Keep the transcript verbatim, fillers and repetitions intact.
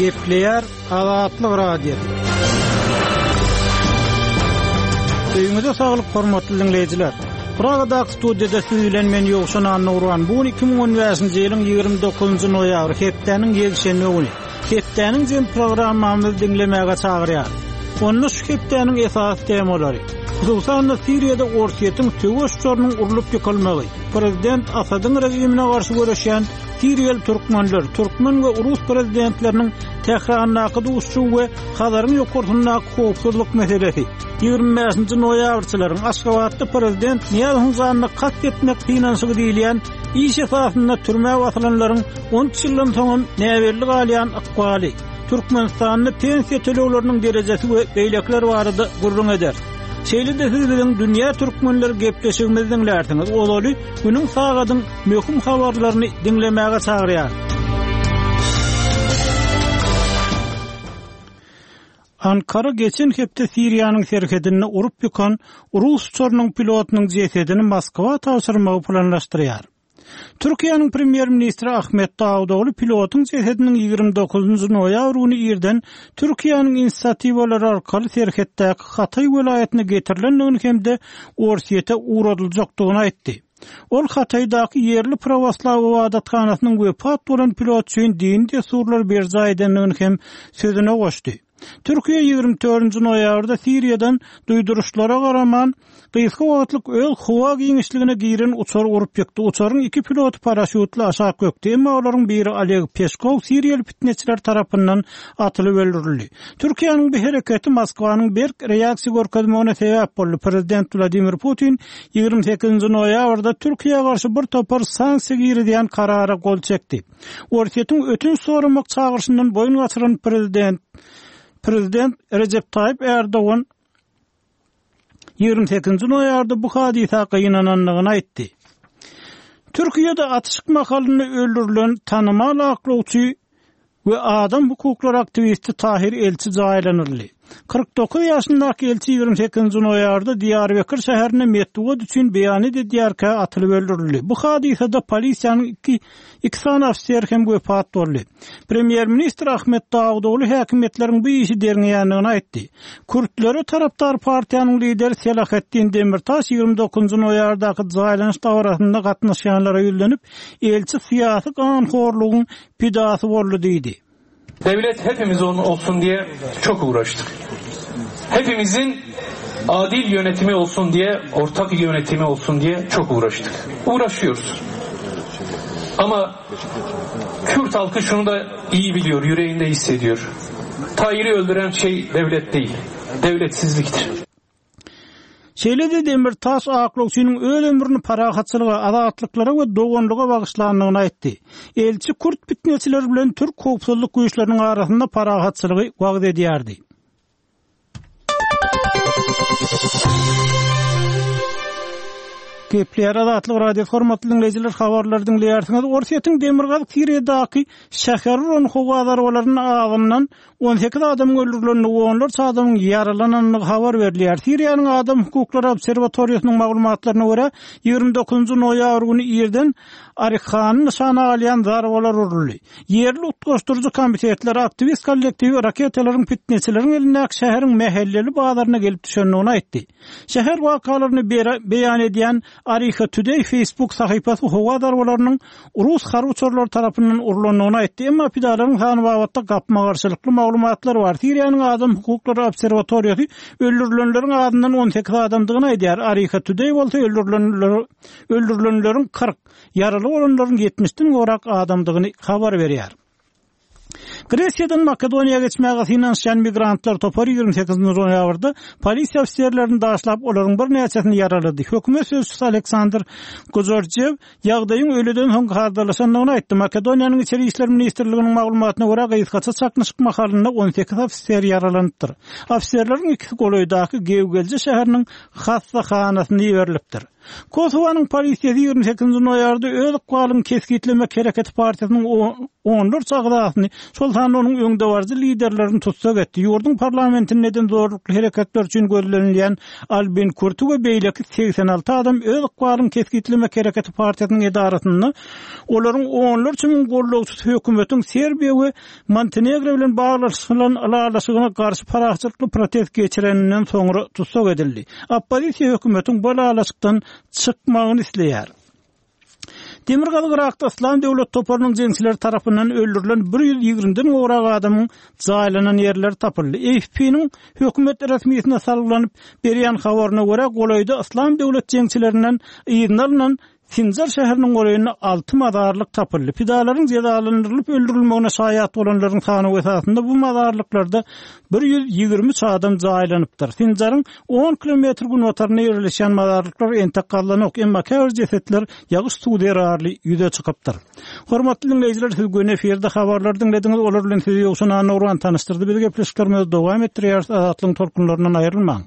Gepleýär Azatlyk Radiosy. Öýüňize saglyk hormatly diňleýjiler. Pragadaky studiýada siz bilen men Ýowşan Annagurban. Bu gün iki müň on bäşinji ýylyň ýigrimi dokuzynjy noýabry, hepdäniň ýekşenbe güni. Hepdäniň jem programmamyzy diňlemäge çagyrýar. Onda şu hepdäniň esasy temalary, hususan-da Siriýada Orsýetiň söweş uçarynyň urlup ýykylmagy, Prezident Asadyň režimine garşy göreşýän Siriýaly türkmenler, türkmen we rus prezidentleriniň Tährandaky duşuşygy we Hazaryň ýokarsyndaky howpsuzlyk meselesi, ýigrimi bäşinji noýabrçylaryň Aşgabatda Prezident Nyýazowyň janyna kast etmek synanyşygy diýilýän iş esasynda türmä basylanlaryň on üç ýyldan soňam näbelli galýan ykbaly, Türkmenistanda pensiýa tölegleriniň derejesi we beýlekiler barada gürrüň eder. Şeýle-de siz biziň Dünýä Türkmenleri gepleşigimizi diňlärsiňiz. Ozaly günüň sagadyň möhüm habarlaryny diňlemäge çagyrýar. Ankara geçen hepde Siriýanyň serhedinde urup ýykan rus uçarynyň pilotynyň jesedini Moskwa tabşyrmagy planlaşdyrýar. Türkiýäniň premýer-ministri Ahmet Dawutoğlu pilotyň jesediniň ýigrimi dokuzynjy noýabr güni irden Türkiýäniň inisiatiwalary arkaly serhetdäki Hatay welaýatyna getirilendigini hem-de Orsýete uğradyljakdygyny aýtdy. Ol Hataydaky ýerli pravoslav ibadathanasynyň wepat bolan pilot üçin dini dessurlar berjaý edendigini hem sözüne goşdy. Türkiýe ýigrimi dördünji noýabrda Siriýadan duýduryşlara garaman gysga wagtlyk öz howa giňişligine giren uçar urup ýykdy. Uçaryň iki piloty paraşýutly aşak gökdi. Emma olaryň biri Oleg Peşkow Siriýaly fitneçiler tarapyndan atylyp öldürildi. Türkiýäniň bu hereketi Moskwanyň berk reaksiýa görkezmegine sebäp boldy. Prezident Wladimir Putin ýigrimi sekizinji noýabrda Türkiýä garşy bir topar sanksiýa girizýän karara gol çekdi. Orsýetiň ötünç soramak çagyryşyndan boýun gaçyran prezident Prezident Recep Tayyip Erdoğan ýigrimi sekizinji noýabrda bu hadysa gynanandygyny aýtdy. Türkiýede atyşyk mahalynda öldürilen tanymal aklawçy we adam hukuklary aktiwisti Tahir Elçi jaýlanyldy. Kyrk dokuz ýaşyndaky Elçi ýigrimi sekizinji noýabrda Diýarbekir şäherinde metbugat üçin beýan edýärkä atylyp öldürildi. Bu hadysada polisiýanyň iki, iki sany ofiser hem wepat boldy. Premýer-ministr Ahmet Dawutoğlu häkimiýetleriň bu işi derňeýändigini aýtdy. Kürtlere tarapdar partiýanyň lideri Selahattin Demirtaş ýigrimi dokuzynjy noýabrdaky jaýlanyş dabarasynda gatnaşýanlara ýüzlenip, elçi syýasy ganhorlugyň pidasy boldy diýdi. Devlet hepimiz onun olsun diye çok uğraştık. Hepimizin adil yönetimi olsun diye, ortak yönetimi olsun diye çok uğraştık. Uğraşıyoruz. Ama Kürt halkı şunu da iyi biliyor, yüreğinde hissediyor. Tahir'i öldüren şey devlet değil, devletsizliktir. Şeýle-de Demirtaş aklawçynyň öz ömrüni parahatçylyga, azatlyklara we doganlyga bagyşlandygyny aýtdy. Elçi Kürt fitneçileri bilen Türk howpsuzlyk güýçleriniň arasynda parahatçylygy wagyz edýärdi. Gepler Azatlyk Radiosy hormatly dinleýjiler, habarlary diňleýärsiňiz. Orsýetiň Demirgazyk Siriýadaky şäher uran howa zarbalarynyň azyndan on sekiz adamyň öldürilenligi, onlarça adamyň ýaralanandygy habar berilýär. Siriýanyň Adam Hukuklary Obserwatoriýasynyň maglumatlaryna görä, ýigrimi dokuzynjy noýabr güni irden Arihany nyşana alýan zarbalar uruldy. Ýerli utgaşdyryjy komitetler aktiwist kollektiwi raketalaryň fitneçileriň elindäki şäheriň mähelleli bazaryna gelip düşendigini aýtdy. Şäher wakalaryny beýan edýän Ariha Today Facebook sahypasy howa zarbalarynyň rus harby uçarlary tarapyndan urulandygyny aýtdy. Emma pidalaryň sany babatda gapma-garşylykly maglumatlar bar. Siriýanyň Adam Hukuklary Obserwatoriýasy öldürilenleriň azyndan on sekiz adamdygyny aýdýar. Ariha Today bolsa öldürilenler, öldürilenleriň kyrk, ýaraly bolanlaryň ýetmişden gowrak adamdygyny habar berýär. Gresiýadan Makedoniýa geçmäge synanyşýan migrantlar topary ýigrimi sekizinji noýabrda polisiýa ofiserlerini daşlap, olaryň birnäçesini ýaralady. Hökümet sözçüsi Aleksandr Gojorjew ýagdaýyň ölüden soň gardalaşandygyny aýtdy. Makedoniýanyň İçeri İşler Ministrliginiň maglumatyna görä, gysgaça çaknyşyk mahalynda on sekiz ofiser ýaralanypdyr. Ofiserleriň ikisi golaýdaky Gewgelje şäheriniň hassahanasyna iberilipdir. Kosowanyň polisiýasy ýigrimi sekizinji noýabrda öz ykbalyny kesgitlemek hereketi partiýasynyň onlarça agzasyny, şol sanda onuň öňdebaryjy liderlerini tussag etdi. Ýurduň parlamentinde eden zorlukly hereketler üçin gözlenilýän Albin Kurti we beýleki segsen alty adam öz ykbalyny kesgitlemek hereketi partiýasynyň edarasynda olaryň onlarça müň gollagçysy hökümetiň Serbiýa we Montenegro bilen baglaşylan ylalaşygyna garşy parahatçylykly protest geçireninden soňra tussag edildi. Oppozisiýa hökümetiň bu ylalaşykdan çykmagyny isleýär. Demirgazyk Yrakda Yslam döwlet toparynyň jeňçileri tarapyndan öldürilen bir ýüz ýigrimiden gowrak adamyň jaýlanan ýerleri tapyldy. A F P-niň hökümet resmisine salgylanyp berýän habaryna görä, golaýda Yslam döwlet jeňçilerinden yzyna alnan Sinjar şäheriniň golaýynda alty mazarlyk tapyldy. Pidalaryň jezalandyrylyp öldürilmegine şaýat bolanlaryň sanawy esasynda bu mazarlyklarda bir ýüz ýigrimi üç adam jaýlanypdyr. Sinjaryň on kilometr günbatarynda ýerleşýän mazarlyklar entek gazlanok, emma käbir jesetler ýagyş suwy zerarly ýüze çykypdyr. Hormatly diňleýjiler, siz göni efirde habarlary diňlediňiz, olar bilen sizi Ýowşan Annagurban tanyşdyrdy. Biz gepleşiklerimizi dowam etdirýäris, Azatlygyň tolkunlaryndan aýrylmaň.